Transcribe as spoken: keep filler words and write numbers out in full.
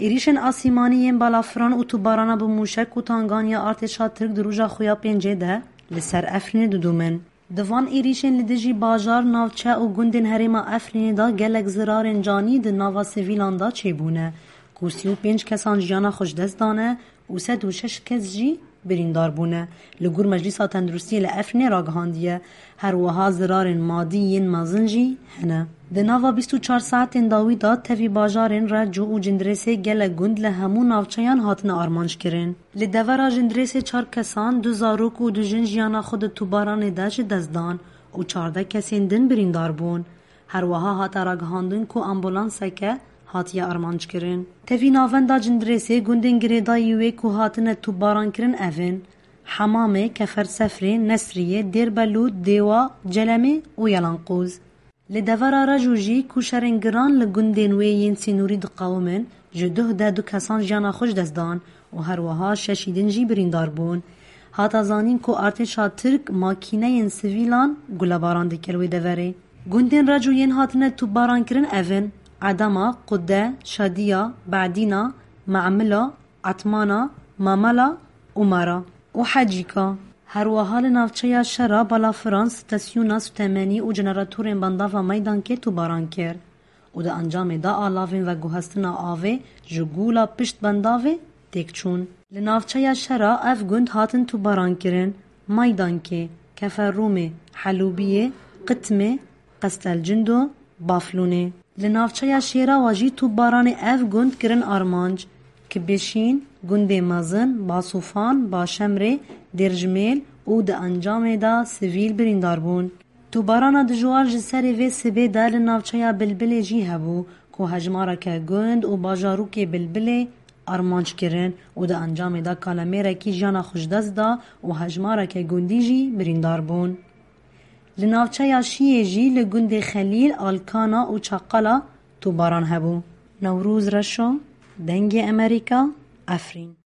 Êrîşên asîmanî yên balafiran û tubarana bi mûşek û tangan ya artêşa Tirk di roja xwe ya pêncê de li ser Efrînê didûmin. Di van êrîşên li dijî bajar, navçe û gundên herêma Efrînê de gelek zirarên canî di nava sivîlan de çêbûne, ku sî û pênc kesan jiyana xwe ji dest dane û sed û şeş kes jî birîndar bûne, li gor Meclîsa Tenduristiyê li Efrînê ragihandiye. Her wiha zirarên madî yên mezin jî hene. Di nava bîst û çar saetên dawî de tevî bajarên Reco û Cindirêsê gelek gund li hemû navçeyan hatine armanckirin. Li devera Cindirêsê çar kesan, du zarok û du jin jiyana xwe di tubaranê de ji dest dan û çardeh kesên din birîndar bûn. Her wiha hate ragihandin ku ambulanseke hatiye armanckirin. Tevî navenda Cindirêsê gundên girêdayî wê ku hatine tubarankirin ev in: Hemamê, Kefersefrê, Nesriyê, Dêrbelûd, Dêwa, Celemê û Yelanqûz. Li devera Reco jî ku şerên giran li gundên wê yên sînorî diqewimin, ji duh de du kesan jiyana xwe ji dest dan û her wiha şeşî din jî birîndar bûn. Hate zanîn ku artêşa Tirk makîneyên sivîlan gulebaran dikir wê deverê. Gundên Reco yên hatine topbarankirin ev in: Edama, Qude, Şadiya, Bedîna, Memila, Etmana, Mamela û Mara û Hecîka. Her wiha li navçeya Şera balafiran stasyona sutemenî û jeneratorên bandava Meydankê topbaran kir û di encamê de alavên veguhestina avê ji gola pişt bandavê têk çûn. Li navçeya Şera ev gund hatin topbarankirin: Meydankê, Keferrûmê, Helûbiyê, Qitmê, Qestelcindo, Baflûnê. Li navçeya Şêrawa jî topbaranê ev gund kirin armanc: Kibêşîn, gundê mezin, Basûfan, Başemrê, Dêrjimêl û di encamê de sivîl birîndar bûn. Topbarana dijwar ji serê vê sibê de li navçeya Bilbilê jî hebû, ku hejmareke gund û bajarokê Bilbilê armanc kirin û di encamê de kalemêrekî jiyana xwe ji dest da û hejmareke gundî jî birîndar bûn. Li navçeya Şiyê jî li gundê Xelîl, Alkana û Çaqala topbaran hebû. Newroz Reşo, Dengê Emerîka, Efrîn.